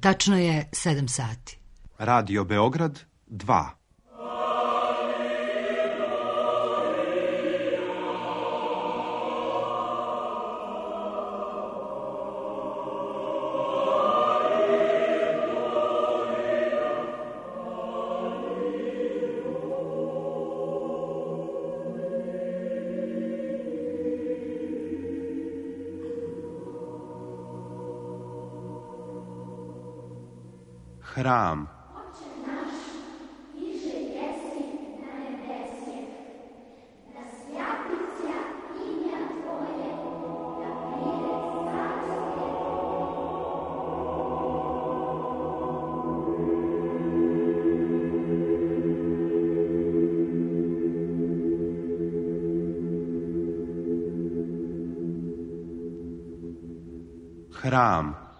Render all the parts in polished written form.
Tačno je 7 sati. Radio Beograd 2. Hram. Hram.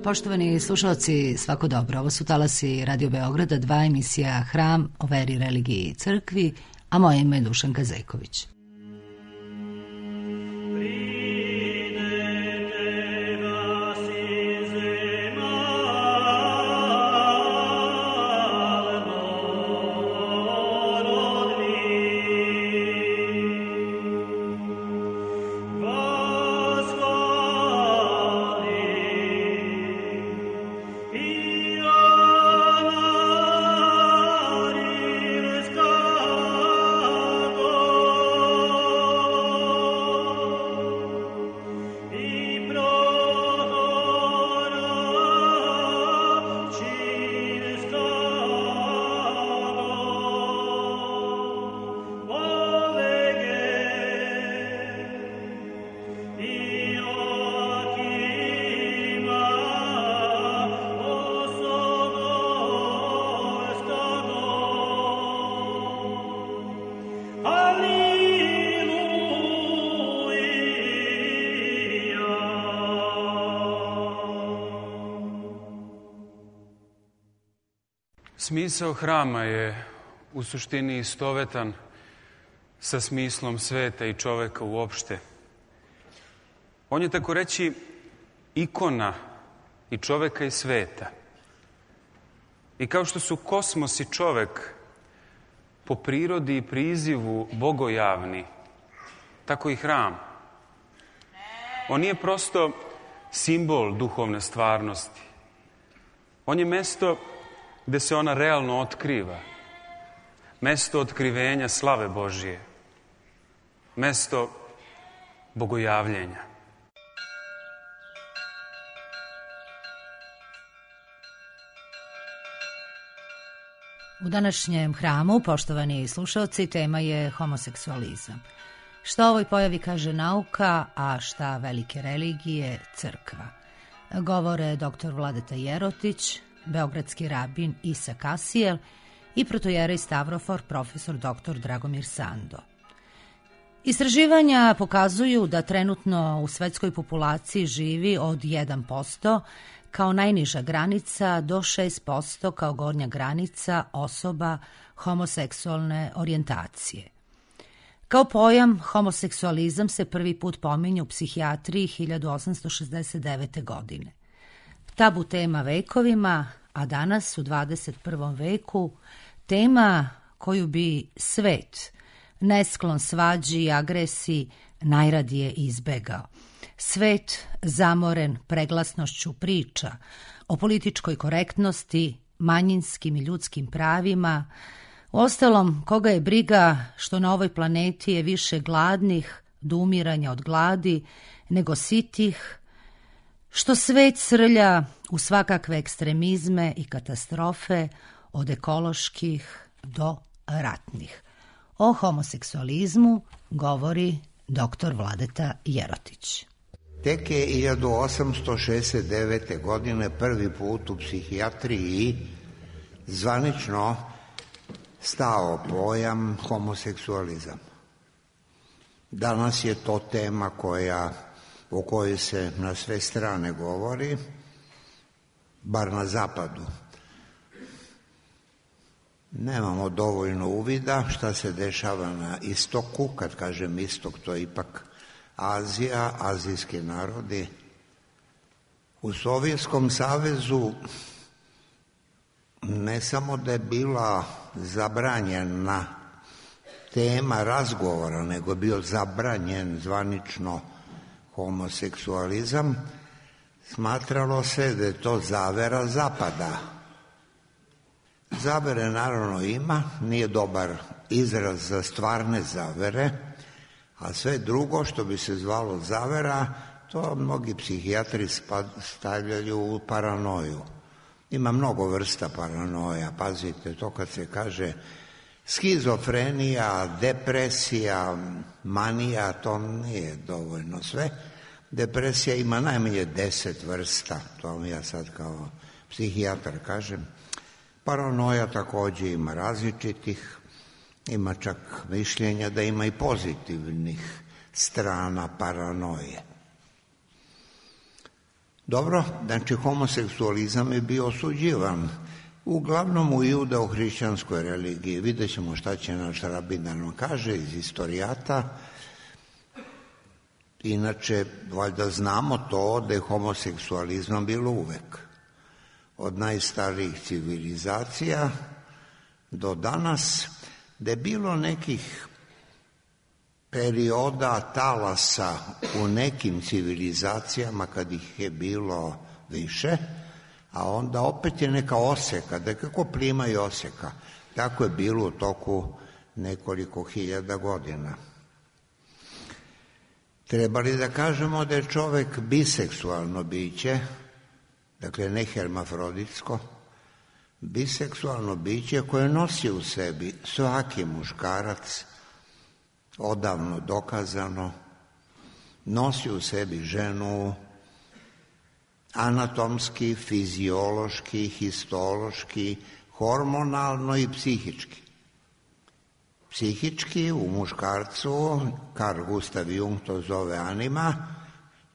Poštovani slušalci, svako dobro. Ovo su talasi Radio Beograda 2, emisija Hram o veri, religiji i crkvi, a moje ime je Dušanka Zejković. Smisao hrama je u suštini istovetan sa smislom sveta i čoveka uopšte. On je, tako reći, ikona i čoveka i sveta. I kao što su kosmos i čovek po prirodi i prizivu bogojavni, tako i hram. On nije prosto simbol duhovne stvarnosti. On je mesto gde se ona realno otkriva. Mesto otkrivenja slave Božije. Mesto bogojavljenja. U današnjem hramu, poštovani slušalci, tema je homoseksualizam. Šta o ovoj pojavi kaže nauka, a šta velike religije, crkva. Govore dr. Vladeta Jerotić, beogradski rabin Isa Kasijel i protojerej Stavrofor profesor dr. Dragomir Sando. Istraživanja pokazuju da trenutno u svetskoj populaciji živi od 1% kao najniža granica do 6% kao gornja granica osoba homoseksualne orijentacije. Kao pojam, homoseksualizam se prvi put pominje u psihijatriji 1869. godine. Tabu tema vekovima, a danas u 21. veku tema koju bi svet, nesklon svađi i agresiji, najradije izbegao. Svet zamoren preglasnošću priča o političkoj korektnosti, manjinskim i ljudskim pravima, Uostalom, koga je briga što na ovoj planeti je više gladnih do umiranja od gladi nego sitih, što svet srlja u svakakve ekstremizme i katastrofe od ekoloških do ratnih. O homoseksualizmu govori dr. Vladeta Jerotić. Tek je 1869. godine prvi put u psihijatriji zvanično stao pojam homoseksualizam. Danas je to tema o kojoj se na sve strane govori, bar na zapadu. Nemamo dovoljno uvida šta se dešava na istoku. Kad kažem istok, to je ipak Azija, azijski narodi. U Sovjetskom savezu ne samo da je bila zabranjena tema razgovora, nego je bio zabranjen zvanično homoseksualizam. Smatralo se da je to zavera zapada. Zavere naravno ima, nije dobar izraz za stvarne zavere, a sve drugo što bi se zvalo zavera, to mnogi psihijatri stavljaju u paranoju. Ima mnogo vrsta paranoja, pazite, to kad se kaže skizofrenija, depresija, manija, to nije dovoljno sve. Depresija ima najmanje 10 vrsta, to vam ja sad kao psihijatar kažem. Paranoja također ima različitih, ima čak mišljenja da ima i pozitivnih strana paranoje. Dobro, znači homoseksualizam je bio osuđivan, uglavnom u judeo-hrišćanskoj religiji. Vidjet ćemo šta će naš rabin da nam kaže iz istorijata. Inače, valjda znamo to da je homoseksualizam bilo uvek. Od najstarijih civilizacija do danas, da je bilo nekih perioda talasa u nekim civilizacijama kad ih je bilo više, a onda opet je neka oseka, da je kako plima i oseka. Tako je bilo u toku nekoliko hiljada godina. Treba li da kažemo da je čovek biseksualno biće, dakle ne hermafroditsko, biseksualno biće koje nosi u sebi svaki muškarac, odavno dokazano, nosi u sebi ženu anatomski, fiziološki, histološki, hormonalno i psihički. Psihički u muškarcu, Carl Gustav Jung to zove anima,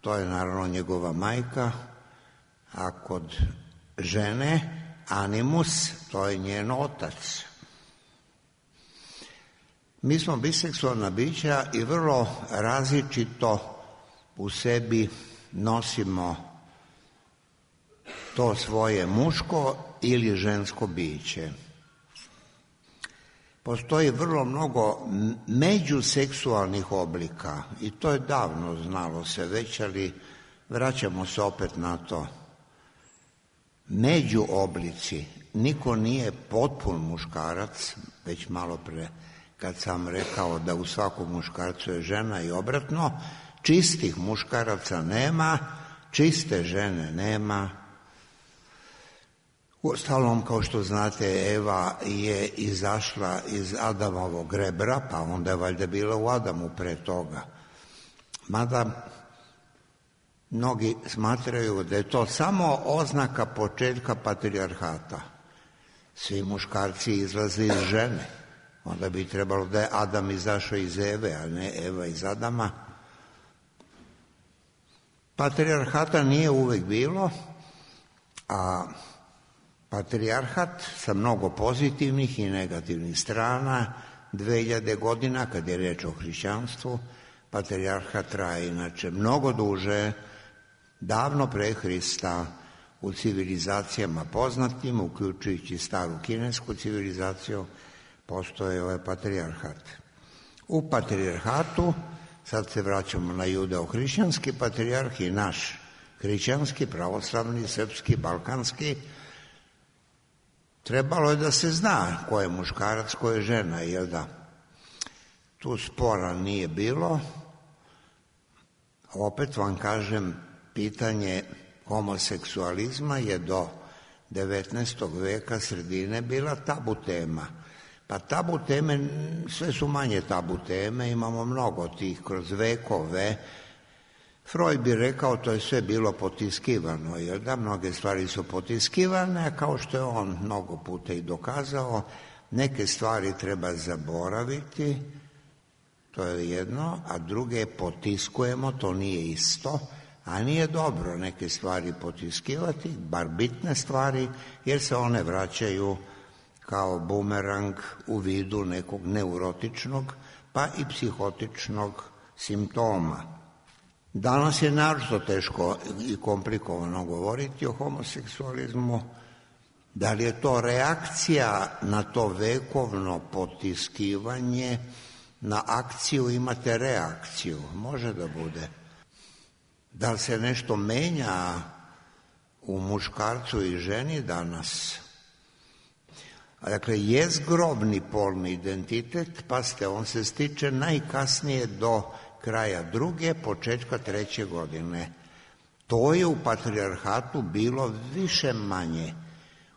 to je naravno njegova majka, a kod žene animus, to je njen otac. Mi smo biseksualna bića i vrlo različito u sebi nosimo to svoje muško ili žensko biće. Postoji vrlo mnogo međuseksualnih oblika i to je davno znalo se već, ali vraćamo se opet na to. Međuoblici, niko nije potpun muškarac, već malo pre kad sam rekao da u svakom muškarcu je žena i obratno, čistih muškaraca nema, čiste žene nema. Uostalom, kao što znate, Eva je izašla iz Adamovog rebra, pa onda je valjda bila u Adamu pre toga. Mada mnogi smatraju da je to samo oznaka početka patrijarhata. Svi muškarci izlaze iz žene. Onda bi trebalo da je Adam izašao iz Eve, a ne Eva iz Adama. Patrijarhata nije uvek bilo, a patrijarhat sa mnogo pozitivnih i negativnih strana, 2000 godina, kad je reč o hrišćanstvu, patrijarhat traje inače mnogo duže, davno pre Hrista, u civilizacijama poznatim, uključujući staru kinesku civilizaciju, postoje ovaj patrijarhat. U patrijarhatu, sad se vraćamo na judeo-hrišćanski patrijarh i naš hrišćanski, pravoslavni, srpski, balkanski, trebalo je da se zna ko je muškarac, ko je žena, jel da? Tu spora nije bilo. Opet vam kažem, pitanje homoseksualizma je do 19. veka sredine bila tabu tema. Pa tabu teme, sve su manje tabu teme, imamo mnogo tih kroz vekove. Freud bi rekao to je sve bilo potiskivano, jer da mnoge stvari su potiskivane, kao što je on mnogo puta i dokazao, neke stvari treba zaboraviti, to je jedno, a druge potiskujemo, to nije isto, a nije dobro neke stvari potiskivati, bar bitne stvari, jer se one vraćaju kao bumerang u vidu nekog neurotičnog pa i psihotičnog simptoma. Danas je naročito teško i komplikovano govoriti o homoseksualizmu. Da li je to reakcija na to vekovno potiskivanje, na akciju imate reakciju, može da bude. Da li se nešto menja u muškarcu i ženi danas? Dakle, jezgrobni polni identitet, pazite, on se stiče najkasnije do kraja 2., početka 3. godine. To je u patrijarhatu bilo više manje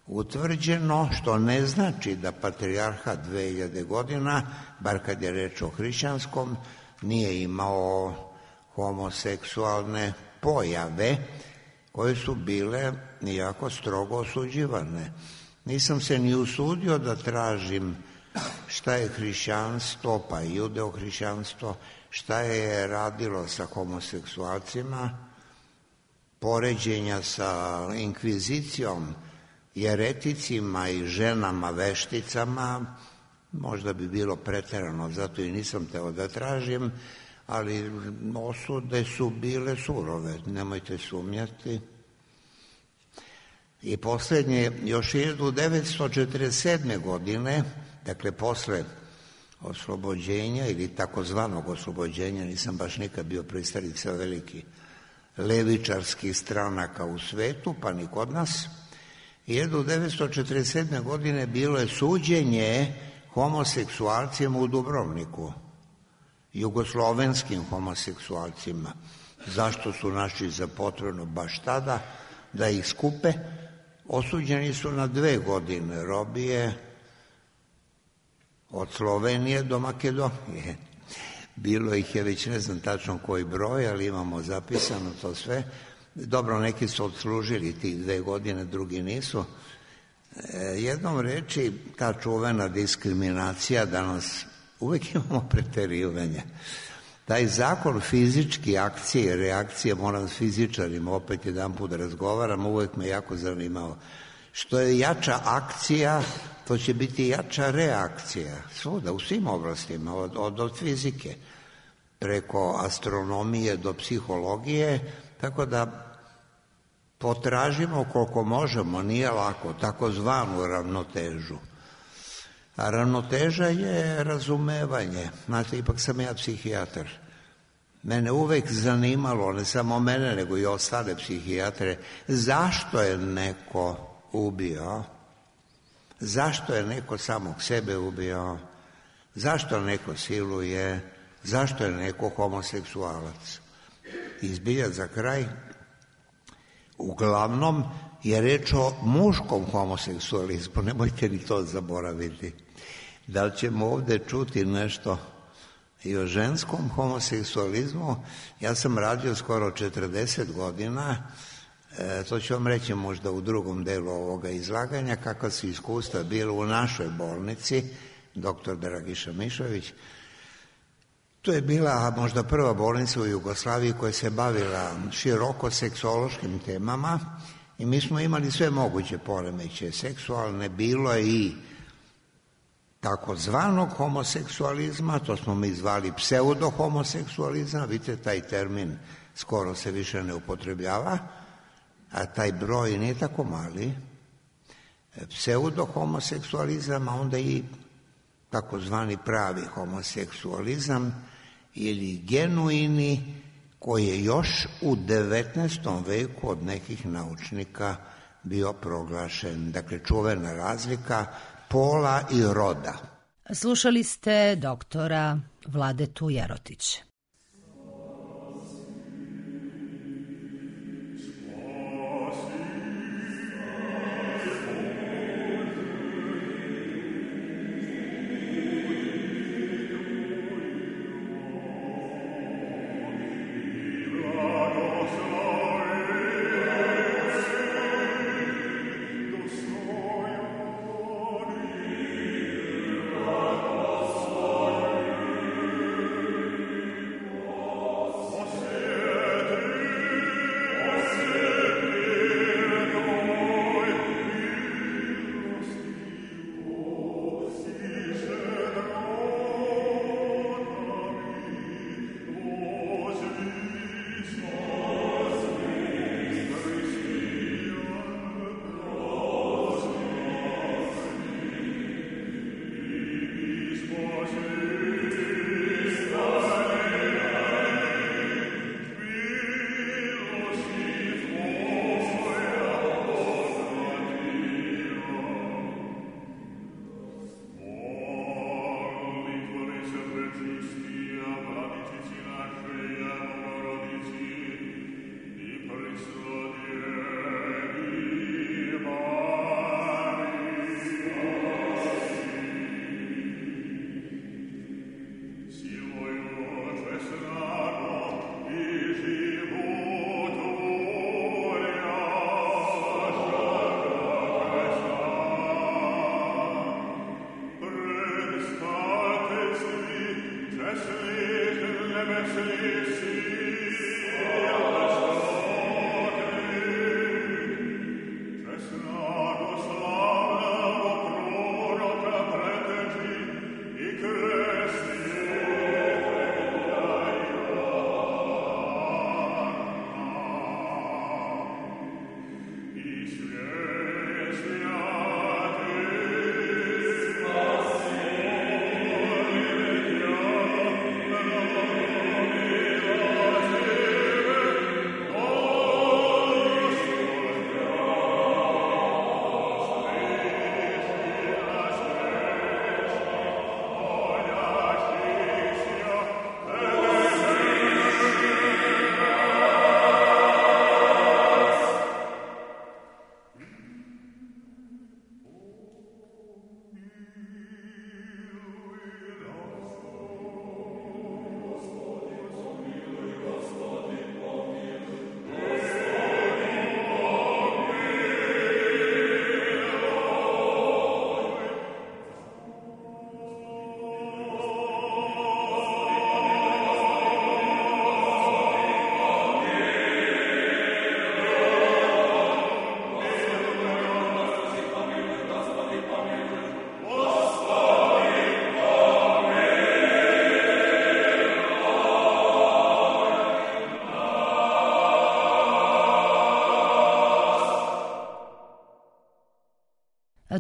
utvrđeno, što ne znači da patrijarhat 2000 godina, bar kad je reč o hrišćanskom, nije imao homoseksualne pojave koje su bile jako strogo osuđivane. Nisam se ni usudio da tražim šta je hrišćanstvo, pa i judeo-hrišćanstvo, šta je radilo sa homoseksualcima, poređenja sa inkvizicijom, jereticima i ženama vešticama, možda bi bilo preterano, zato i nisam teo da tražim, ali osude su bile surove, nemojte sumnjati. I poslednje, još 1947. godine, dakle posle oslobođenja ili takozvanog oslobođenja, nisam baš nikad bio pristalica veliki levičarskih stranaka u svetu, pa ni kod nas, 1947. godine bilo je suđenje homoseksualcima u Dubrovniku, jugoslovenskim homoseksualcima. Zašto su našli za potrebno baš tada da ih skupe? Osuđeni su na 2 godine robije od Slovenije do Makedonije. Bilo ih je već ne znam tačno koji broj, ali imamo zapisano to sve. Dobro, neki su odslužili tih 2 godine, drugi nisu. Jednom reči, ta čuvena diskriminacija, danas uvek imamo preterivanje. Taj zakon fizički akcije i reakcije, moram s fizičarima opet jedan put da razgovaram, uvek me jako zanimao. Što je jača akcija, to će biti jača reakcija. Svuda, u svim oblastima, od fizike, preko astronomije do psihologije, tako da potražimo koliko možemo, nije lako, takozvanu ravnotežu. A ravnoteža je razumevanje. Znate, ipak sam ja psihijatar. Mene uvek zanimalo, ne samo mene, nego i ostale psihijatre, zašto je neko ubio, zašto je neko samog sebe ubio, zašto neko siluje, zašto je neko homoseksualac. Izbilja za kraj, uglavnom je reč o muškom homoseksualizmu, nemojte ni to zaboraviti. Da li ćemo ovde čuti nešto i o ženskom homoseksualizmu? Ja sam radio skoro 40 godina, to ću vam reći možda u drugom delu ovoga izlaganja, kakva su iskustva bilo u našoj bolnici, dr. Dragiša Mišović. To je bila možda prva bolnica u Jugoslaviji koja se bavila široko seksološkim temama i mi smo imali sve moguće poremeće seksualne, bilo je i takozvanog homoseksualizma, to smo mi zvali pseudohomoseksualizam, vidite taj termin skoro se više ne upotrebljava, a taj broj nije tako mali, pseudohomoseksualizam, a onda i takozvani pravi homoseksualizam ili genuini, koji je još u 19. veku od nekih naučnika bio proglašen. Dakle, čuvena razlika pola i roda. Slušali ste doktora Vladetu Jerotića.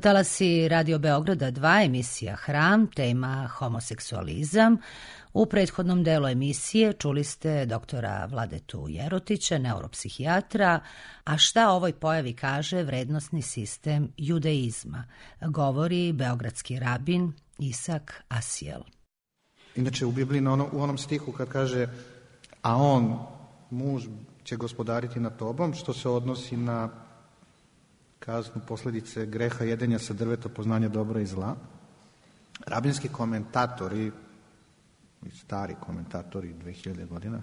Talasi Radio Beograda 2, emisija Hram, tema homoseksualizam. U prethodnom delu emisije čuli ste doktora Vladetu Jerotića, neuropsihijatra, a šta o ovoj pojavi kaže vrednosni sistem judeizma, govori beogradski rabin Isak Asijel. Inače u Bibliji u onom stihu kad kaže a on, muž, će gospodariti nad tobom, što se odnosi na kaznu posljedice greha jedenja sa drveta poznanja dobra i zla. Rabinski komentatori, stari komentatori 2000 godina,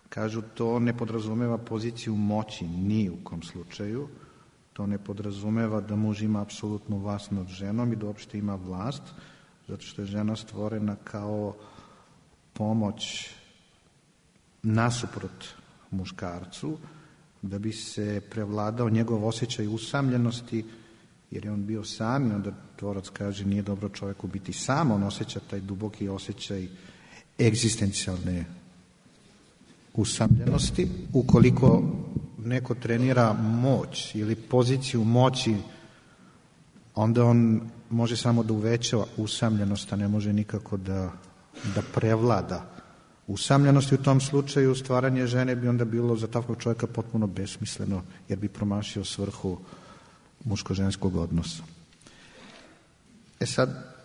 kažu to ne podrazumeva poziciju moći ni u kom slučaju, to ne podrazumeva da muž ima apsolutnu vlast nad ženom i da uopšte ima vlast, zato što je žena stvorena kao pomoć nasuprot muškarcu, da bi se prevladao njegov osjećaj usamljenosti, jer je on bio sam i onda tvorac kaže nije dobro čovjeku biti sam, on osjeća taj duboki osjećaj egzistencijalne usamljenosti. Ukoliko neko trenira moć ili poziciju moći, onda on može samo da uveća usamljenost, a ne može nikako da prevlada usamljenost. I u tom slučaju stvaranje žene bi onda bilo za takvog čovjeka potpuno besmisleno, jer bi promašio svrhu muško-ženskog odnosa. Sad,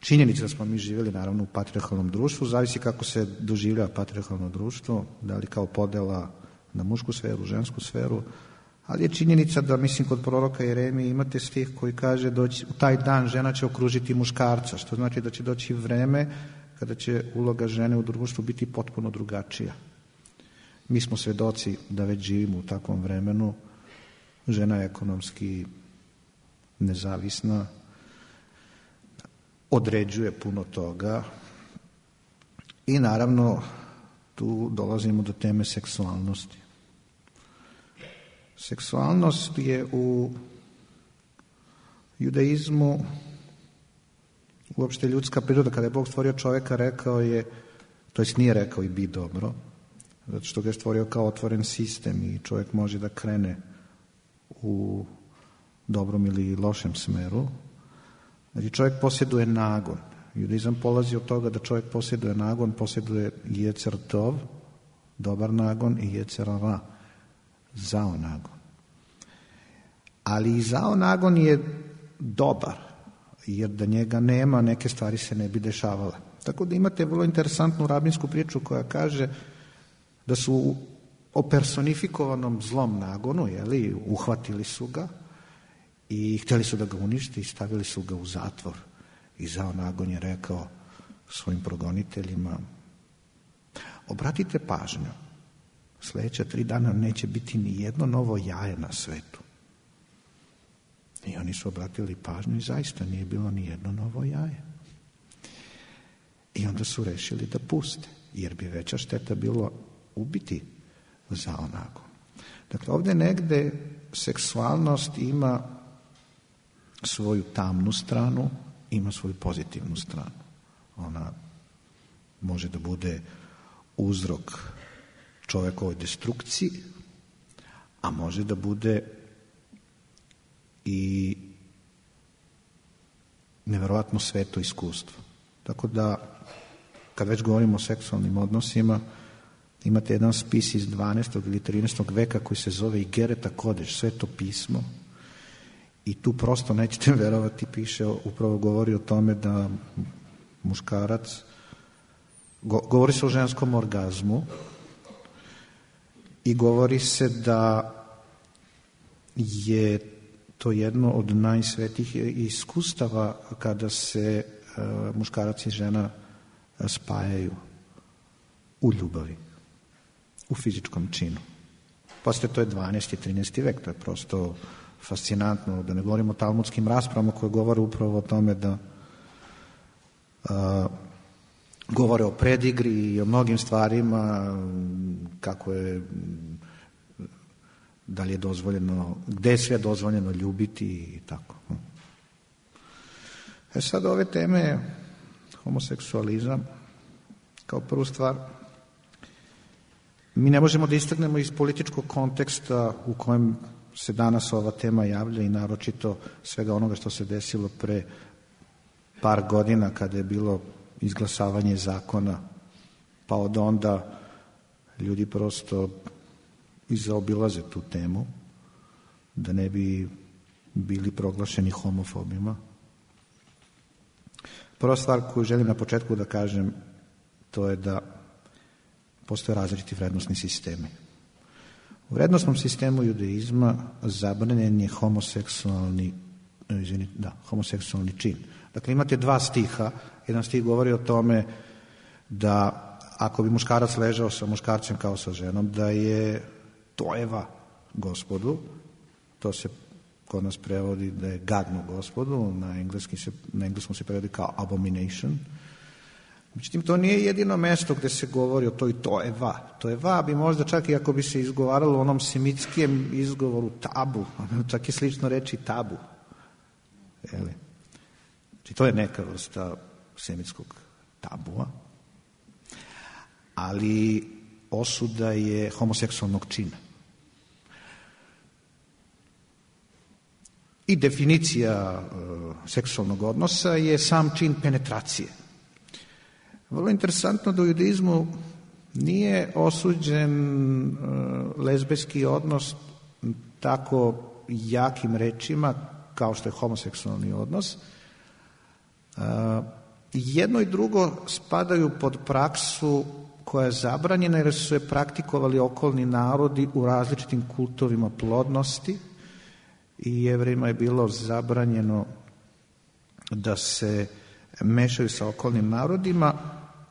činjenica da smo mi živjeli naravno u patrijarhalnom društvu, zavisi kako se doživljava patrijarhalno društvo, da li kao podela na mušku sferu, žensku sferu, ali je činjenica da, mislim, kod proroka Jeremije imate stih koji kaže da u taj dan žena će okružiti muškarca, što znači da će doći vreme kada će uloga žene u društvu biti potpuno drugačija. Mi smo svedoci da već živimo u takvom vremenu, žena je ekonomski nezavisna, određuje puno toga i naravno tu dolazimo do teme seksualnosti. Seksualnost je u judaizmu uopšte ljudska priroda. Kada je Bog stvorio čovjeka, rekao je, to jest nije rekao i bi dobro, zato što ga je stvorio kao otvoren sistem i čovjek može da krene u dobrom ili lošem smeru. Znači čovjek posjeduje nagon. Judaizam polazi od toga da čovjek posjeduje nagon, posjeduje jecer tov, dobar nagon, i jecer ra, zao nagon. Ali i zao nagon je dobar, jer da njega nema, neke stvari se ne bi dešavale. Tako da imate vrlo interesantnu rabinsku priču koja kaže da su o personifikovanom zlom nagonu, uhvatili su ga i htjeli su da ga unište i stavili su ga u zatvor. I zao nagon je rekao svojim progoniteljima: obratite pažnju, sljedeća 3 dana neće biti ni jedno novo jaje na svetu. I oni su obratili pažnju i zaista nije bilo ni jedno novo jaje. I onda su rešili da puste, jer bi veća šteta bilo ubiti zao nagon. Dakle, ovdje negde seksualnost ima svoju tamnu stranu, ima svoju pozitivnu stranu. Ona može da bude uzrok čovjekovoj destrukciji, a može da bude i neverovatno sveto iskustvo. Tako da, kad već govorimo o seksualnim odnosima, imate jedan spis iz 12. ili 13. veka koji se zove Igereta Kodeš, Sveto pismo, i tu prosto nećete verovati, piše, upravo govori o tome da muškarac, govori se o ženskom orgazmu i govori se da je to jedno od najsvetijih iskustava kada se muškarac i žena spajaju u ljubavi, u fizičkom činu. Poslije to je 12. i 13. vek, to je prosto fascinantno, da ne govorimo o talmudskim raspravama koje govore upravo o tome da govore o predigri i o mnogim stvarima, kako je, da li je dozvoljeno, gde je sve dozvoljeno ljubiti i tako. Sad ove teme, homoseksualizam, kao prvu stvar, mi ne možemo da istegnemo iz političkog konteksta u kojem se danas ova tema javlja i naročito svega onoga što se desilo pre par godina kada je bilo izglasavanje zakona, pa od onda ljudi prosto izaobilaze tu temu da ne bi bili proglašeni homofobima. Prva stvar koju želim na početku da kažem, to je da postoje različiti vrednosni sistemi. U vrednosnom sistemu judaizma zabranjen je homoseksualni čin. Dakle, imate 2 stiha. Jedan stih govori o tome da ako bi muškarac ležao sa muškarcem kao sa ženom, da je tojeva Gospodu, to se kod nas prevodi da je gadno Gospodu, na engleskom se prevodi kao abomination. Međutim, to nije jedino mesto gde se govori o toj tojeva. Tojeva bi možda čak i ako bi se izgovaralo u onom semitskim izgovoru tabu, čak je slično reći tabu. Znači, to je neka vrsta semitskog tabua, ali osuda je homoseksualnog čina. I definicija seksualnog odnosa je sam čin penetracije. Vrlo interesantno da u judaizmu nije osuđen lezbijski odnos tako jakim rečima, kao što je homoseksualni odnos. Jedno i drugo spadaju pod praksu koja je zabranjena jer su je praktikovali okolni narodi u različitim kultovima plodnosti i Jevrejima je bilo zabranjeno da se mešaju sa okolnim narodima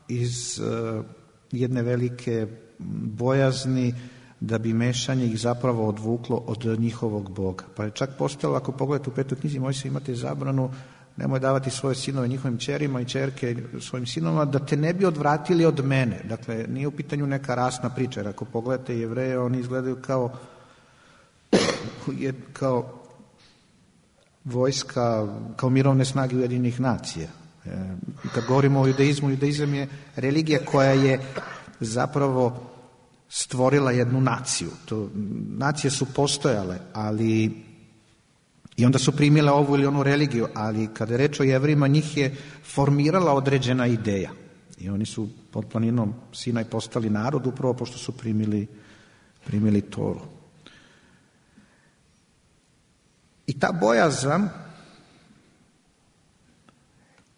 iz jedne velike bojazni da bi mešanje ih zapravo odvuklo od njihovog Boga. Pa je čak postojalo, ako pogledate u 5. knjizi Mojsije, imate zabranu nemoj davati svoje sinove njihovim ćerima i ćerke svojim sinovima da te ne bi odvratili od mene. Dakle, nije u pitanju neka rasna priča, jer ako pogledate Jevreje, oni izgledaju kao vojska, kao mirovne snage Ujedinjenih nacija. Kad govorimo o judaizmu, judaizam je religija koja je zapravo stvorila jednu naciju. Nacije su postojale, ali i onda su primile ovu ili onu religiju, ali kada je reč o Jevrejima, njih je formirala određena ideja. I oni su pod planinom Sinaj postali narod upravo pošto su primili Toru. I ta bojazan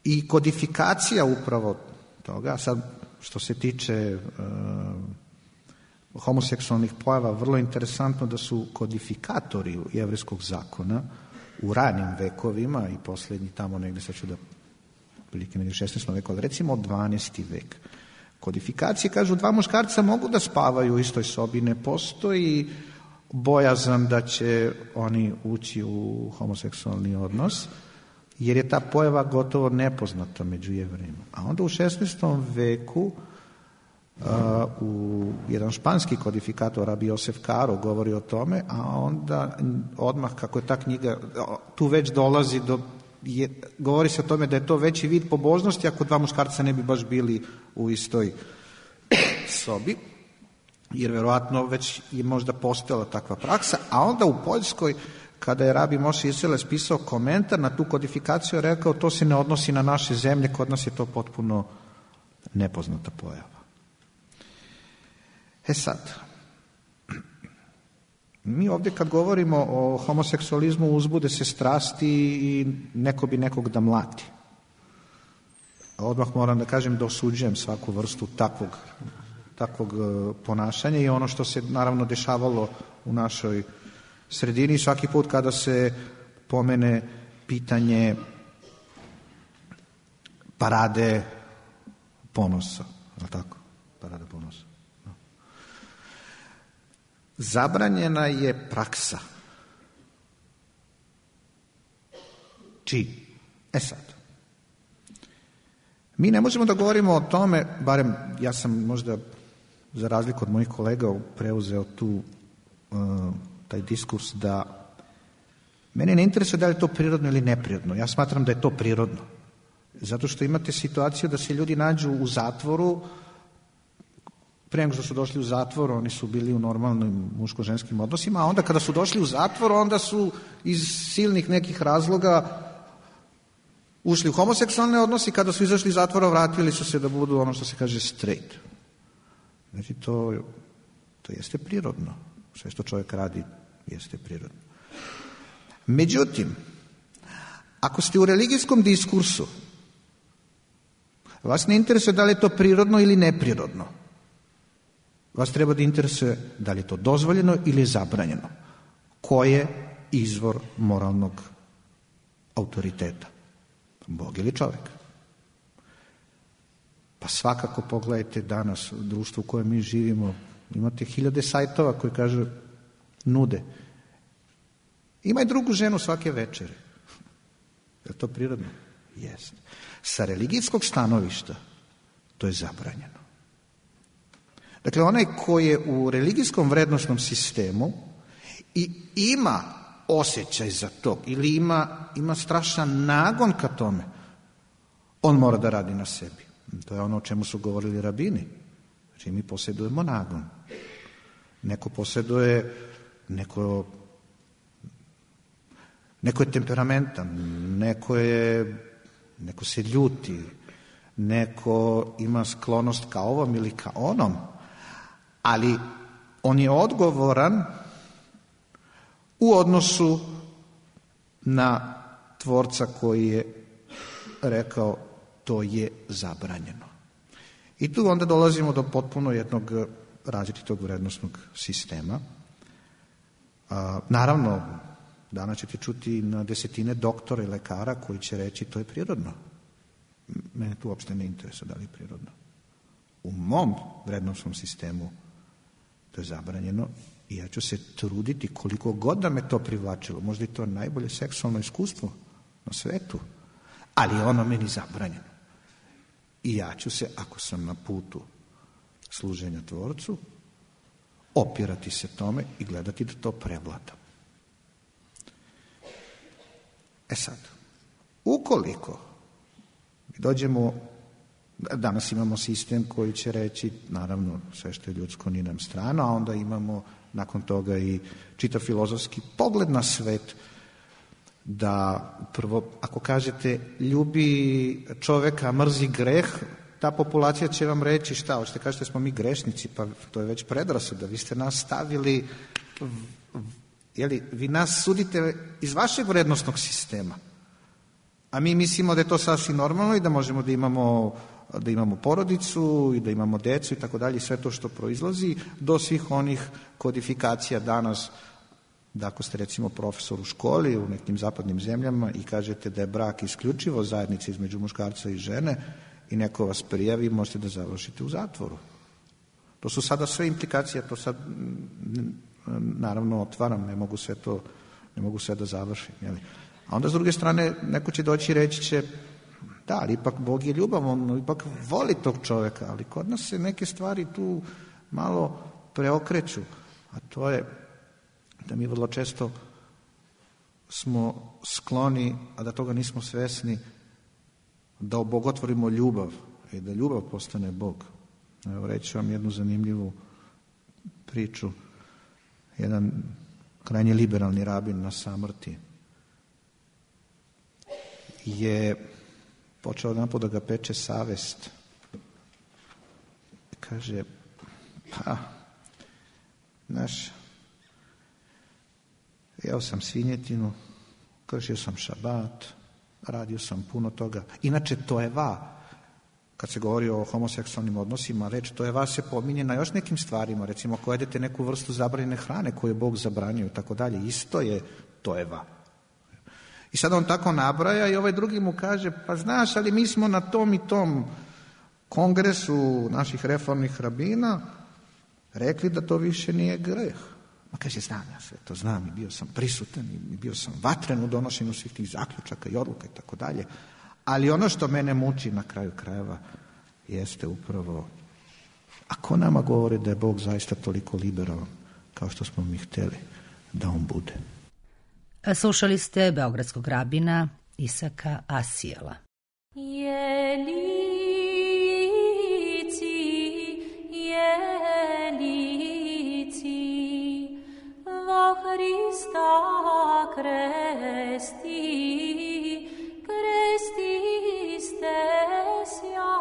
i kodifikacija upravo toga, sad što se tiče homoseksualnih pojava, vrlo interesantno da su kodifikatori jevrejskog zakona u ranim vekovima i posljednji tamo negdje, sad ću da prilike negdje 16. veku, ali recimo 12. vek. Kodifikacije kažu 2 muškarca mogu da spavaju u istoj sobi, ne postoji bojazan da će oni ući u homoseksualni odnos, jer je ta pojava gotovo nepoznata među Jevrejima. A onda u 16. veku u jedan španski kodifikator, Rabi Josef Caro, govori o tome, a onda odmah kako je ta knjiga, tu već dolazi govori se o tome da je to veći vid pobožnosti ako 2 muškarca ne bi baš bili u istoj sobi, jer verovatno već je možda postojala takva praksa, a onda u Poljskoj, kada je Rabi Moše Isserles pisao komentar na tu kodifikaciju, rekao to se ne odnosi na naše zemlje, kod nas je to potpuno nepoznata pojava. Sad, mi ovdje kad govorimo o homoseksualizmu uzbude se strasti i neko bi nekog da mlati. Odmah moram da kažem da osuđujem svaku vrstu takvog ponašanja i ono što se naravno dešavalo u našoj sredini svaki put kada se pomene pitanje parade ponosa. Je li tako? Parada ponosa. Zabranjena je praksa. Čiji? Sad. Mi ne možemo da govorimo o tome, barem ja sam možda za razliku od mojih kolega preuzeo taj diskurs da mene ne interesuje da li je to prirodno ili neprirodno. Ja smatram da je to prirodno. Zato što imate situaciju da se ljudi nađu u zatvoru. Pre nego što su došli u zatvor, oni su bili u normalnim muško-ženskim odnosima, a onda kada su došli u zatvor, onda su iz silnih nekih razloga ušli u homoseksualne odnose i kada su izašli iz zatvora, vratili su se da budu ono što se kaže straight. Znači, to jeste prirodno. Sve što čovjek radi jeste prirodno. Međutim, ako ste u religijskom diskursu, vas ne interesuje da li je to prirodno ili neprirodno. Vas treba da interesuje da li je to dozvoljeno ili je zabranjeno. Ko je izvor moralnog autoriteta? Bog ili čovjek? Pa svakako pogledajte danas u društvu u kojem mi živimo, imate 1000 sajtova koji kažu, nude. Imaj drugu ženu svake večere. Je to prirodno? Jeste. Sa religijskog stanovišta to je zabranjeno. Dakle, onaj koji je u religijskom vrednosnom sistemu i ima osjećaj za to ili ima strašan nagon ka tome, on mora da radi na sebi. To je ono o čemu su govorili rabini. Znači, mi posjedujemo nagon. Neko posjeduje, neko je temperamentan, neko se ljuti, neko ima sklonost ka ovom ili ka onom, ali on je odgovoran u odnosu na tvorca koji je rekao to je zabranjeno. I tu onda dolazimo do potpuno jednog različitog vrednosnog sistema. Naravno, danas ćete čuti na desetine doktora i lekara koji će reći to je prirodno. Mene tu uopšte ne interesuje da li je prirodno. U mom vrednosnom sistemu to je zabranjeno i ja ću se truditi koliko god da me to privlačilo. Možda je to najbolje seksualno iskustvo na svetu, ali je ono meni zabranjeno. I ja ću se, ako sam na putu služenja tvorcu, opirati se tome i gledati da to prevladam. Sad, ukoliko dođemo, danas imamo sistem koji će reći, naravno, sve što je ljudsko nije nam strano, a onda imamo nakon toga i čitav filozofski pogled na svet, da prvo, ako kažete ljubi čoveka, mrzi greh, ta populacija će vam reći šta, hoćete kažete smo mi grešnici, pa to je već predrasuda, vi ste nas stavili, vi nas sudite iz vašeg vrednosnog sistema, a mi mislimo da je to sasvim normalno i da možemo da imamo porodicu i da imamo decu i tako dalje, sve to što proizlazi do svih onih kodifikacija danas, da ako ste recimo profesor u školi u nekim zapadnim zemljama i kažete da je brak isključivo zajednica između muškarca i žene i neko vas prijavi, možete da završite u zatvoru. To su sada sve implikacije, to sad naravno otvaram, ne mogu sve da završim. Jeli? A onda s druge strane neko će doći i reći će da, ali ipak Bog je ljubav, on ipak voli tog čoveka, ali kod nas se neke stvari tu malo preokreću, a to je da mi vrlo često smo skloni, a da toga nismo svesni, da obogotvorimo ljubav i da ljubav postane Bog. Evo, reći vam jednu zanimljivu priču. Jedan krajnje liberalni rabin na samrti je počeo odnapod da ga peče savest. Kaže, jeo sam svinjetinu, kršio sam šabat, radio sam puno toga. Inače, tojeva, kad se govori o homoseksualnim odnosima, reč tojeva se pominje na još nekim stvarima. Recimo, ako jedete neku vrstu zabranjene hrane koju je Bog zabranio i tako dalje, isto je tojeva. I sad on tako nabraja i ovaj drugi mu kaže, pa znaš, ali mi smo na tom i tom kongresu naših reformnih rabina rekli da to više nije greh. Ma kaže, znam ja sve to, znam i bio sam prisutan i bio sam vatren u donošenju svih tih zaključaka i odluka i tako dalje. Ali ono što mene muči na kraju krajeva jeste upravo, ako nama govori da je Bog zaista toliko liberalan kao što smo mi hteli da on bude. Slušali ste beogradskog rabina Isaka Asijela. Hrista kresti, stesja,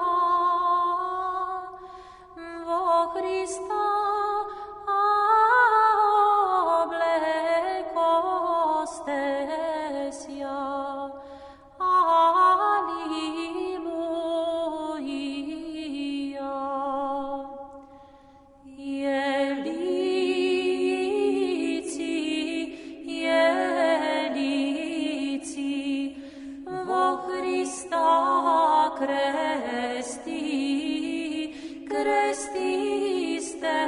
vo Hrista obleko stesja, kresti stesja.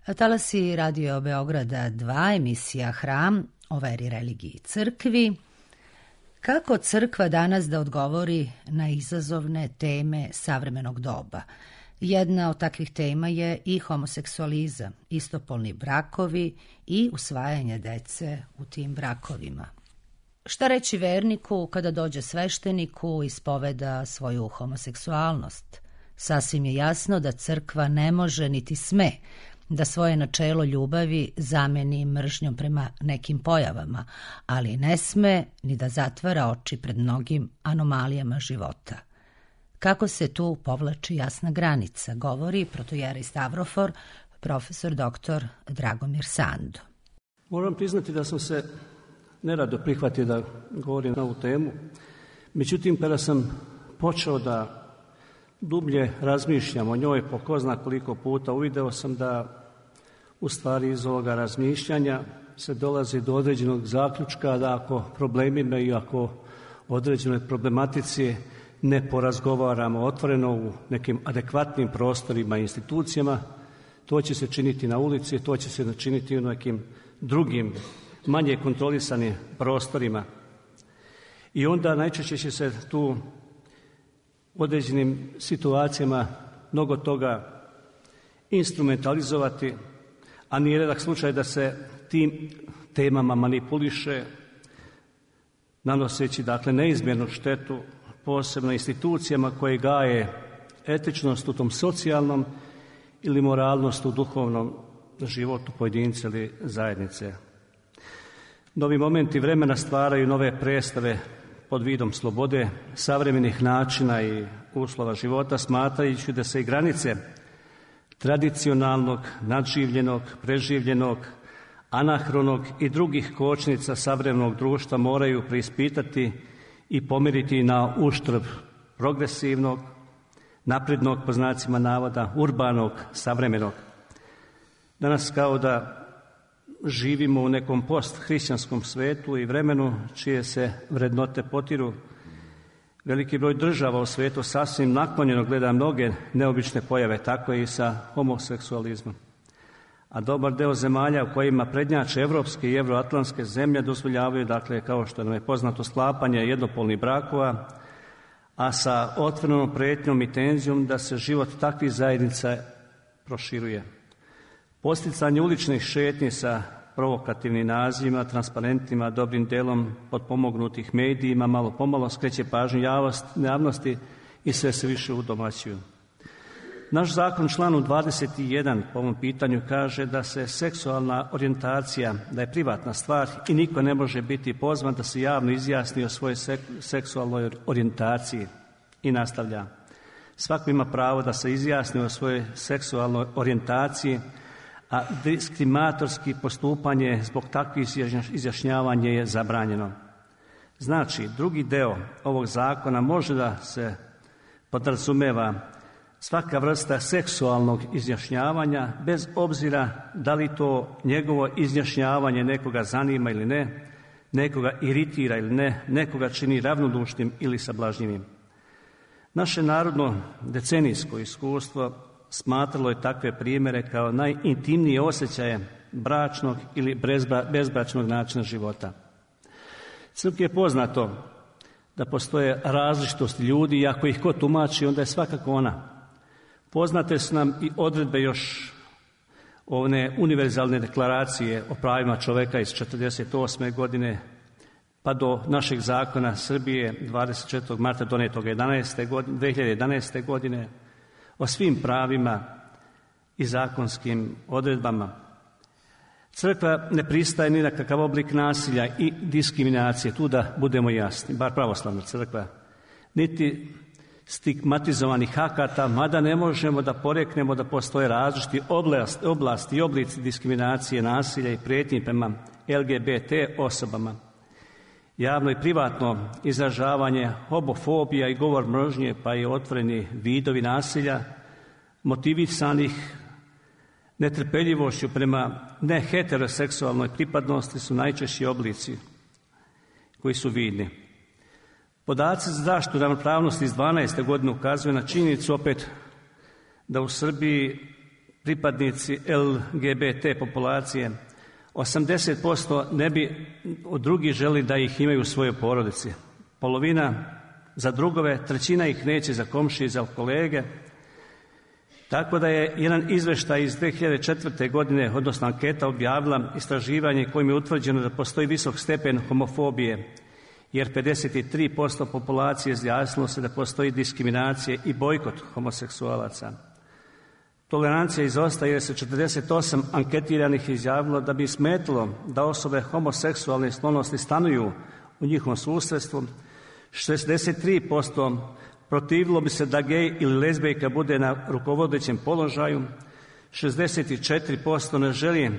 Talasi Radio Beograda 2, emisija Hram o veri, religiji i crkvi. Kako crkva danas da odgovori na izazovne teme savremenog doba? Jedna od takvih tema je i homoseksualizam, istopolni brakovi i usvajanje dece u tim brakovima. Šta reći verniku kada dođe svešteniku i ispoveda svoju homoseksualnost? Sasvim je jasno da crkva ne može niti sme da svoje načelo ljubavi zameni mržnjom prema nekim pojavama, ali ne sme ni da zatvara oči pred mnogim anomalijama života. Kako se tu povlači jasna granica, govori protojerej Stavrofor, profesor dr. Dragomir Sando. Moram priznati da sam se nerado prihvatio da govorim na ovu temu. Međutim, kada sam počeo da dublje razmišljam o njoj po ko zna koliko puta, uvideo sam da u stvari iz ovoga razmišljanja se dolazi do određenog zaključka da ako problemima i ako određenoj problematici ne porazgovaramo otvoreno u nekim adekvatnim prostorima i institucijama, to će se činiti na ulici, to će se činiti u nekim drugim, manje kontrolisanim prostorima. I onda najčešće će se tu u određenim situacijama mnogo toga instrumentalizovati, a nije redak slučaj da se tim temama manipuliše, nanoseći dakle neizmjernu štetu posebno institucijama koje gaje etičnost u tom socijalnom ili moralnost u duhovnom životu pojedinca ili zajednice. Novi momenti vremena stvaraju nove predstave pod vidom slobode, savremenih načina i uslova života, smatrajući da se i granice tradicionalnog, nadživljenog, preživljenog, anahronog i drugih kočnica savremenog društva moraju preispitati i pomeriti na uštrb progresivnog, naprednog, po znacima navoda, urbanog, savremenog. Danas kao da živimo u nekom post-hrišćanskom svetu i vremenu čije se vrednote potiru. Veliki broj država u svetu sasvim naklonjeno gleda mnoge neobične pojave, tako i sa homoseksualizmom. A dobar deo zemalja u kojima prednjače evropske i evroatlantske zemlje dozvoljavaju, dakle, kao što nam je poznato, sklapanje jednopolnih brakova, a sa otvorenom pretnjom i tenzijom da se život takvih zajednica proširuje. Posticanje uličnih šetnji sa provokativnim nazivima, transparentima, dobrim delom potpomognutih medijima, malo pomalo skreće pažnju javnosti i sve se više udomaćuju. Naš zakon članu 21 po ovom pitanju kaže da se seksualna orijentacija, da je privatna stvar i niko ne može biti pozvan da se javno izjasni o svojoj seksualnoj orijentaciji. I nastavlja. Svako ima pravo da se izjasni o svojoj seksualnoj orijentaciji, a diskriminatorski postupanje zbog takvih izjašnjavanja je zabranjeno. Znači, drugi deo ovog zakona može da se podrazumeva svaka vrsta seksualnog izjašnjavanja, bez obzira da li to njegovo izjašnjavanje nekoga zanima ili ne, nekoga iritira ili ne, nekoga čini ravnodušnim ili sablažnjivim. Naše narodno decenijsko iskustvo smatralo je takve primjere kao najintimnije osjećaje bračnog ili bezbračnog načina života. Crkvi je poznato da postoje različitosti ljudi i ako ih ko tumači, onda je svakako ona. Poznate su nam i odredbe još one univerzalne deklaracije o pravima čoveka iz 1948. godine pa do našeg zakona Srbije 24. marta donetog 2011. godine o svim pravima i zakonskim odredbama. Crkva ne pristaje ni na kakav oblik nasilja i diskriminacije, tu da budemo jasni, bar pravoslavna crkva, niti stigmatizovanih akata, mada ne možemo da poreknemo da postoje različiti oblasti i oblici diskriminacije, nasilja i prijetnji prema LGBT osobama. Javno i privatno izražavanje homofobija i govor mržnje, pa i otvoreni vidovi nasilja, motivisanih netrpeljivošću prema neheteroseksualnoj pripadnosti su najčešći oblici koji su vidni. Podaci za zaštitu ravnopravnosti iz 12. godine ukazuju na činjenicu opet da u Srbiji pripadnici LGBT populacije, 80% ne bi od drugih želi da ih imaju u svojoj porodici. Polovina za drugove, 1/3 ih neće za komšije i za kolege. Tako da je jedan izveštaj iz 2004. godine, odnosno anketa, objavila istraživanje kojim je utvrđeno da postoji visok stepen homofobije, jer 53% populacije izjasnilo se da postoji diskriminacija i bojkot homoseksualaca. Tolerancija izostaje jer se 48 anketiranih izjavilo da bi smetilo da osobe homoseksualne sklonosti stanuju u njihovom susjedstvu, 63% protivilo bi se da gej ili lezbijka bude na rukovodećem položaju, 64% ne želi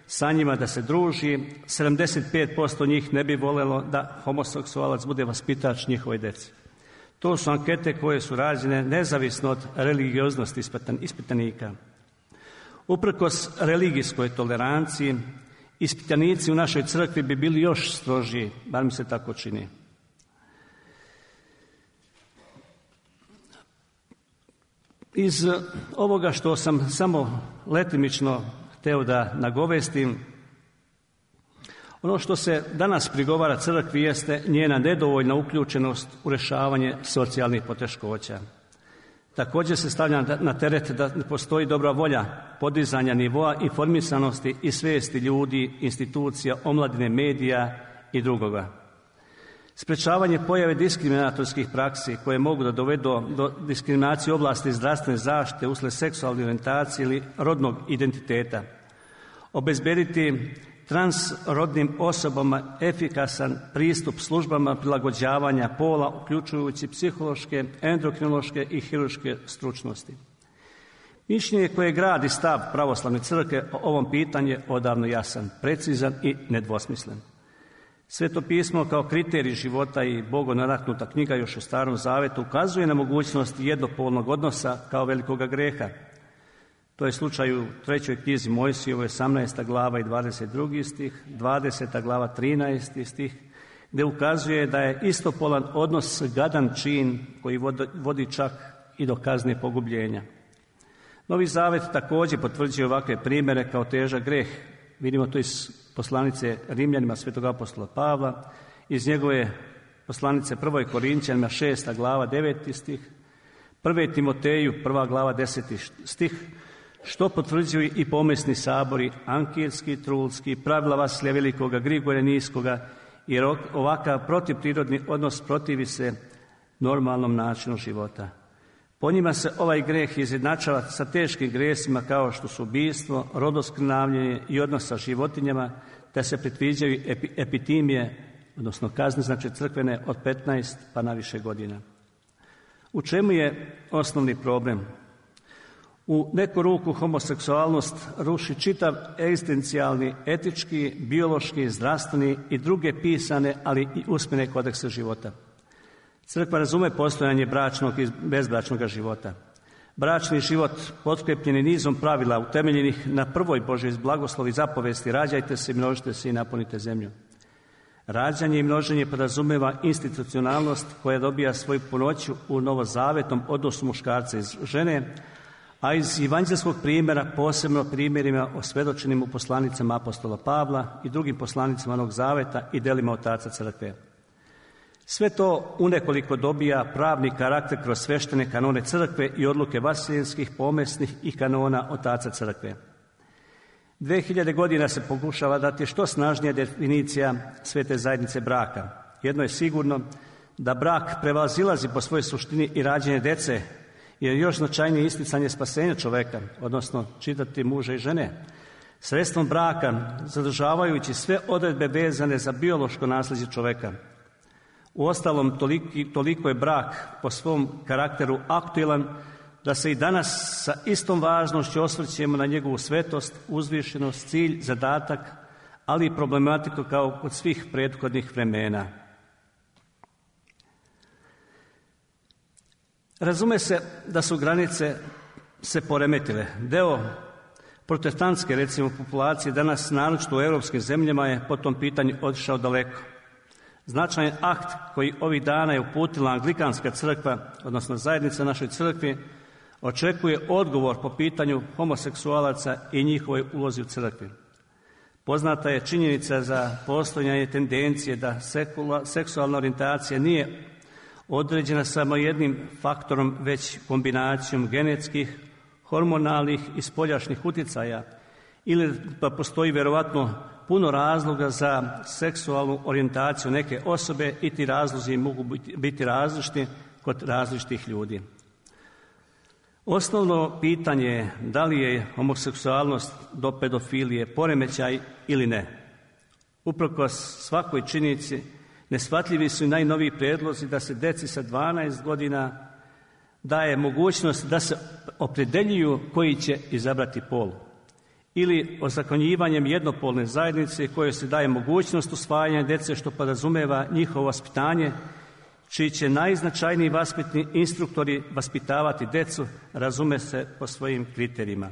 sa njima da se druži, 75% njih ne bi voljelo da homoseksualac bude vaspitač njihove djece. To su ankete koje su rađene nezavisno od religioznosti ispitanika. Uprkos religijskoj toleranciji, ispitanici u našoj crkvi bi bili još strožiji, bar mi se tako čini. Iz ovoga što sam samo letimično hteo da nagovestim, ono što se danas prigovara crkvi jeste njena nedovoljna uključenost u rješavanje socijalnih poteškoća. Također se stavlja na teret da ne postoji dobra volja podizanja nivoa informisanosti i svijesti ljudi, institucija, omladine, medija i drugoga. Sprečavanje pojave diskriminatorskih praksi koje mogu da dovedu do diskriminacije u oblasti zdravstvene zaštite uslijed seksualne orijentacije ili rodnog identiteta. Obezbediti transrodnim osobama efikasan pristup službama prilagođavanja pola, uključujući psihološke, endokrinološke i hirurške stručnosti. Mišljenje koje gradi stav pravoslavne crkve o ovom pitanju je odavno jasan, precizan i nedvosmislen. Sveto pismo kao kriterij života i bogonadahnuta knjiga još u Starom Zavetu ukazuje na mogućnost jednopolnog odnosa kao velikoga greha. To je slučaj u 3. knjizi Mojsijevoj 18. glava i 22. stih, 20. glava 13. stih, gdje ukazuje da je istopolan odnos gadan čin koji vodi čak i do kazne pogubljenja. Novi Zavet također potvrđuje ovakve primjere kao težak greh. Vidimo to iz poslanice Rimljanima svetog apostola Pavla, iz njegove poslanice 1. Korinćanima 6. glava 9. stih, 1. Timoteju 1. glava 10. stih, što potvrđuju i pomesni sabori Ankirski, Trulski, pravila Vasilija Velikoga, Grigorija Niskoga, jer ovakav protivprirodni odnos protivi se normalnom načinu života. Po njima se ovaj greh izjednačava sa teškim gresima kao što su ubistvo, rodoskrnavljenje i odnos sa životinjama, te se predviđaju epitimije, odnosno kazne, znači crkvene, od 15 pa na više godina. U čemu je osnovni problem? U neku ruku homoseksualnost ruši čitav egzistencijalni, etički, biološki, zdravstveni i druge pisane, ali i usmene kodekse života. Crkva razume postojanje bračnog i bezbračnog života. Bračni život potkrepljen je nizom pravila utemeljenih na prvoj Božjoj blagoslovi zapovesti: rađajte se, množite se i napunite zemlju. Rađanje i množenje podrazumeva institucionalnost koja dobija svoju punoću u novozavetnom odnosu muškarca i žene, a iz evanđelskog primjera, posebno primjerima osvjedočenim u poslanicama apostola Pavla i drugim poslanicama Novog Zaveta i delima otaca crkve. Sve to unekoliko dobija pravni karakter kroz sveštene kanone crkve i odluke vaseljenskih, pomesnih i kanona otaca crkve. 2000 godina se pokušava dati što snažnija definicija svete zajednice braka. Jedno je sigurno, da brak prevazilazi po svojoj suštini i rađenje dece, jer još značajnije isticanje spasenja čoveka, odnosno čitati muža i žene, sredstvom braka, zadržavajući sve odredbe vezane za biološko nasljeđe čoveka. Uostalom, toliko je brak po svom karakteru aktuelan da se i danas sa istom važnošću osvrćemo na njegovu svetost, uzvišenost, cilj, zadatak, ali i problematiku kao kod svih prethodnih vremena. Razume se da su granice se poremetile. Deo protestantske, recimo, populacije danas, naročito u europskim zemljama, je po tom pitanju otišao daleko. Značajan akt koji ovih dana je uputila Anglikanska crkva, odnosno zajednica našoj crkvi, očekuje odgovor po pitanju homoseksualaca i njihovoj ulozi u crkvi. Poznata je činjenica za postojanje tendencije da seksualna orijentacija nije određena samo jednim faktorom, već kombinacijom genetskih, hormonalnih i spoljašnjih utjecaja, ili pa postoji vjerovatno puno razloga za seksualnu orijentaciju neke osobe i ti razlozi mogu biti različiti kod različitih ljudi. Osnovno pitanje je da li je homoseksualnost do pedofilije poremećaj ili ne. Uprkos svakoj činjenici neshvatljivi su i najnoviji prijedlozi da se deci sa 12 godina daje mogućnost da se opredjeljuju koji će izabrati pol. Ili ozakonjivanjem jednopolne zajednice kojoj se daje mogućnost usvajanja djece što podrazumijeva njihovo vaspitanje, čiji će najznačajniji vaspitni instruktori vaspitavati djecu, razume se po svojim kriterijima.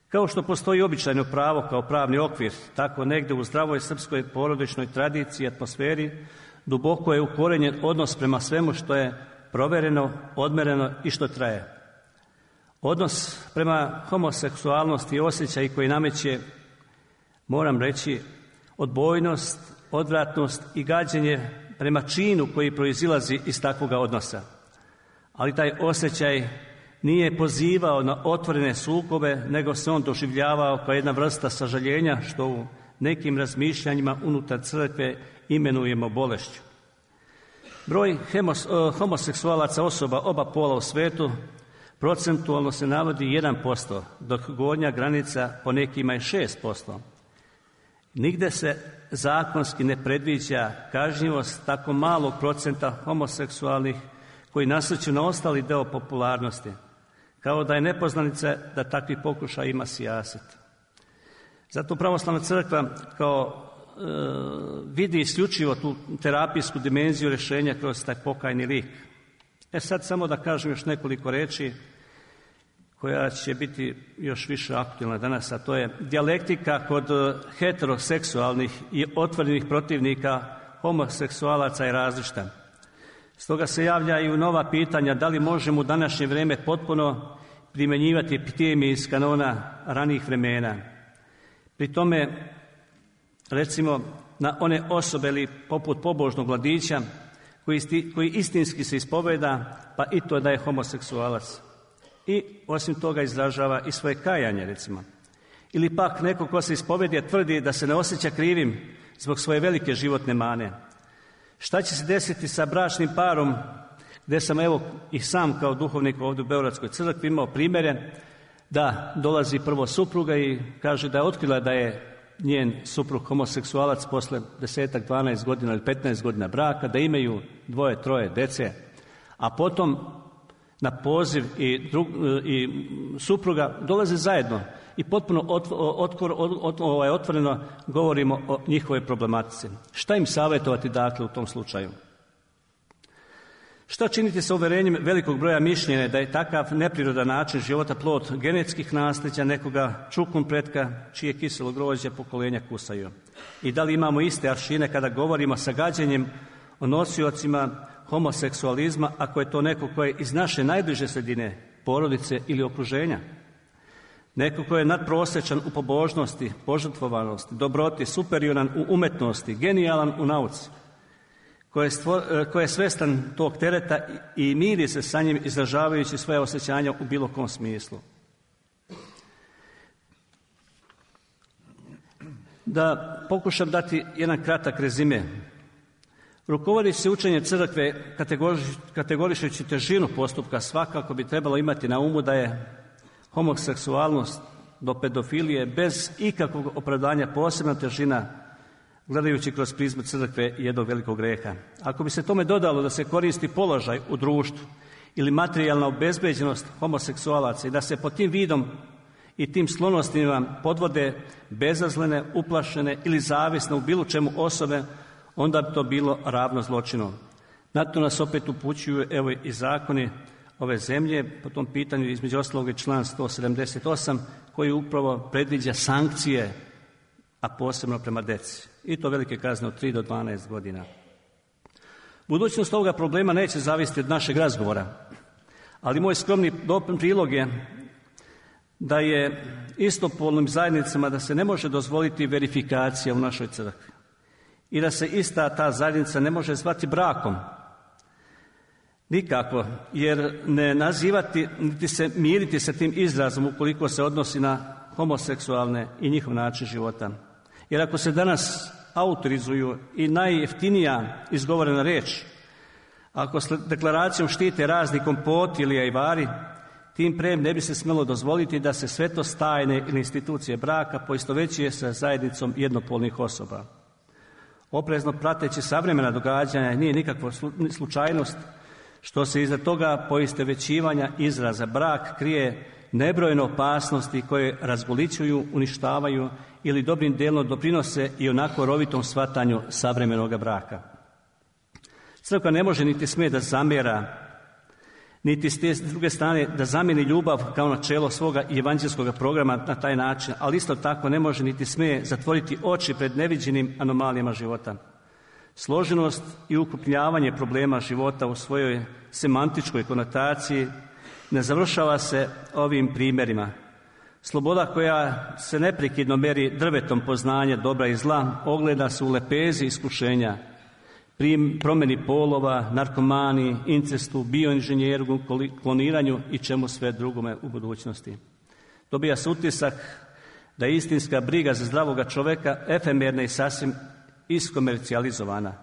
Kao što postoji običajno pravo kao pravni okvir, tako negdje u zdravoj srpskoj porodičnoj tradiciji i atmosferi duboko je ukorenjen odnos prema svemu što je provjereno, odmereno i što traje. Odnos prema homoseksualnosti i osjećaj koji nameće, moram reći, odbojnost, odvratnost i gađenje prema činu koji proizilazi iz takvoga odnosa. Ali taj osjećaj nije pozivao na otvorene sukobe, nego se on doživljavao kao jedna vrsta sažaljenja, što u nekim razmišljanjima unutar crkve imenujemo bolešću. Broj homoseksualaca osoba oba pola u svetu procentualno se navodi 1%, dok gornja granica po nekima je 6%. Nigde se zakonski ne predviđa kažnjivost tako malog procenta homoseksualnih koji nasrću na ostali deo popularnosti, kao da je nepoznanica da takvi pokušaj ima sijaset. Zato pravoslavna crkva kao vidi isključivo tu terapijsku dimenziju rješenja kroz taj pokajni lik. Sad samo da kažem još nekoliko reči koja će biti još više aktualna danas, a to je dijalektika kod heteroseksualnih i otvorenih protivnika homoseksualaca je različita. Stoga se javljaju nova pitanja da li možemo u današnje vrijeme potpuno primjenjivati epitemije iz kanona ranijih vremena. Pri tome, recimo, na one osobe ili poput pobožnog mladića koji istinski se ispoveda, pa i to da je homoseksualac. I osim toga izražava i svoje kajanje, recimo. Ili pak neko ko se ispovedi tvrdi da se ne osjeća krivim zbog svoje velike životne mane. Šta će se desiti sa bračnim parom, gdje sam evo i sam kao duhovnik ovdje u Beogradskoj crkvi imao primjere da dolazi prvo supruga i kaže da je otkrila da je njen suprug homoseksualac posle 10, 12 godina ili 15 godina braka, da imaju 2, 3 dece, a potom na poziv i supruga dolaze zajedno i potpuno otvoreno govorimo o njihovoj problematici. Šta im savjetovati dakle u tom slučaju? Šta činiti sa uverenjem velikog broja mišljenja da je takav neprirodan način života plod genetskih nasljeđa nekoga čukun pretka čije kiselo grožđe pokolenja kusaju? I da li imamo iste aršine kada govorimo sa gađenjem o nosiocima homoseksualizma ako je to neko ko je iz naše najbliže sredine, porodice ili okruženja? Neko ko je nadprosječan u pobožnosti, požrtvovanosti, dobroti, superioran u umetnosti, genijalan u nauci, ko je svestan tog tereta i miri se sa njim izražavajući svoje osjećanja u bilo kom smislu. Da pokušam dati jedan kratak rezime. Rukovodeći se učenje crkve kategorišući težinu postupka svakako bi trebalo imati na umu da je homoseksualnost do pedofilije bez ikakvog opravdanja posebna težina gledajući kroz prizmu crkve jednog velikog greha. Ako bi se tome dodalo da se koristi položaj u društvu ili materijalna obezbeđenost homoseksualaca i da se pod tim vidom i tim sklonostima podvode bezazlene, uplašene ili zavisne u bilo čemu osobe, onda bi to bilo ravno zločinu. Na to nas opet upućuju evo i zakoni ove zemlje, po tom pitanju između ostalog je član 178 koji upravo predviđa sankcije, a posebno prema deci. I to velike kazne od 3 do 12 godina. Budućnost ovoga problema neće zavisiti od našeg razgovora, Ali moj skromni prilog je da je istopolnim zajednicama da se ne može dozvoliti verifikacija u našoj crkvi i da se ista ta zajednica ne može zvati brakom. Nikako, jer ne nazivati, niti se miriti sa tim izrazom ukoliko se odnosi na homoseksualne i njihov način života. Jer ako se danas autorizuju i najjeftinija izgovorena riječ, ako s deklaracijom štite razni kompoti ili ajvari, tim pre ne bi se smjelo dozvoliti da se svetost tajne ili institucije braka poistovećuje sa zajednicom jednopolnih osoba. Oprezno prateći savremena događanja nije nikakva slučajnost što se iza toga poistovećivanja izraza brak krije nebrojene opasnosti koje razgolićuju, uništavaju ili dobrim dijelom doprinose i onako rovitom shvatanju savremenog braka. Crkva ne može niti smije da zamjera, niti s druge strane da zamijeni ljubav kao načelo svoga evanđelskog programa na taj način, ali isto tako ne može niti smije zatvoriti oči pred neviđenim anomalijama života. Složenost i ukrupnjavanje problema života u svojoj semantičkoj konotaciji ne završava se ovim primjerima. Sloboda koja se neprekidno meri drvetom poznanja dobra i zla ogleda se u lepezi iskušenja, promjeni polova, narkomani, incestu, bioinženjeru, kloniranju i čemu sve drugome u budućnosti. Dobija se utisak da je istinska briga za zdravoga čovjeka efemerna i sasvim iskomercijalizovana.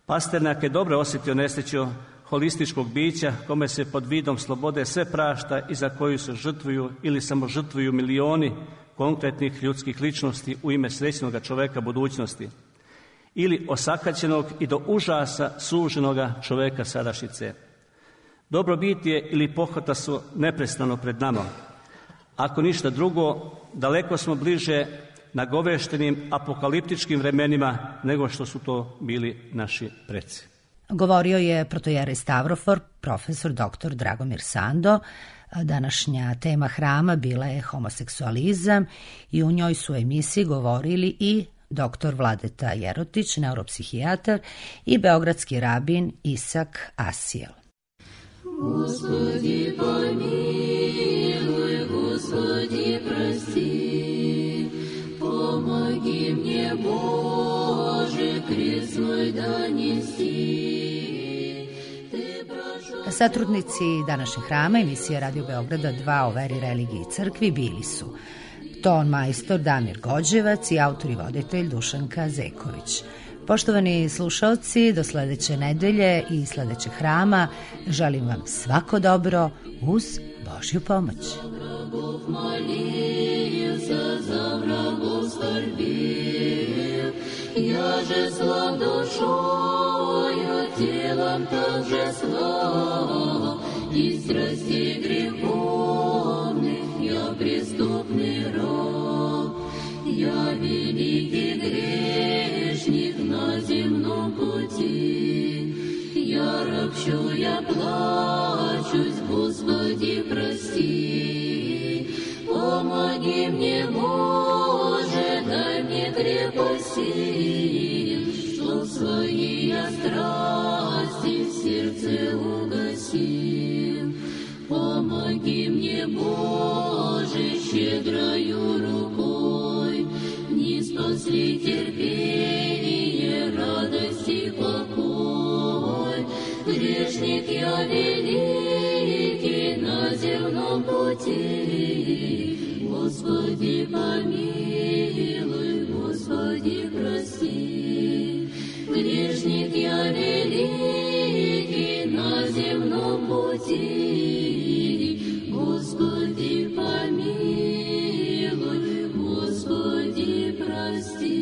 Pasternak je dobro osjetio nesreću holističkog bića kome se pod vidom slobode sve prašta i za koju se žrtvuju ili samo žrtvuju milioni konkretnih ljudskih ličnosti u ime srećnoga čovjeka budućnosti ili osakaćenog i do užasa suženoga čovjeka sadašnjice. Dobrobitije ili pohota su neprestano pred nama. Ako ništa drugo, daleko smo bliže nagoveštenim apokaliptičkim vremenima nego što su to bili naši preci. Govorio je protojerej Stavrofor, profesor dr. Dragomir Sando. Današnja tema hrama bila je homoseksualizam i u njoj su u emisiji govorili i dr. Vladeta Jerotić, neuropsihijatar, i beogradski rabin Isak Asijel. Gospodi pomiluj, Gospodi prosti, pomogi мне, Боже, крест свой донести. Satrudnici današnjeg hrama emisije Radio Beograda 2 o veri, religiji i crkvi bili su ton majstor Damir Gođevac i autor i voditelj Dušanka Zeković. Poštovani slušalci, do sledeće nedelje i sledećeg hrama želim vam svako dobro uz Božju pomoć. Я же слаб душою, телом также слаб, и страстей греховных я преступный раб. Я великий грешник на земном пути, я ропщу, я плачусь, Господи, прости. Помоги мне, Боже, дай мне крепости, чтоб свои я страсти в сердце угасил. Помоги мне, Боже, щедрою рукой, не спасли терпение, радость и покой. Грешник я великий на земном пути, Господи, помилуй, Господи, прости. Грешник я великий на земном пути, Господи, помилуй, Господи, прости.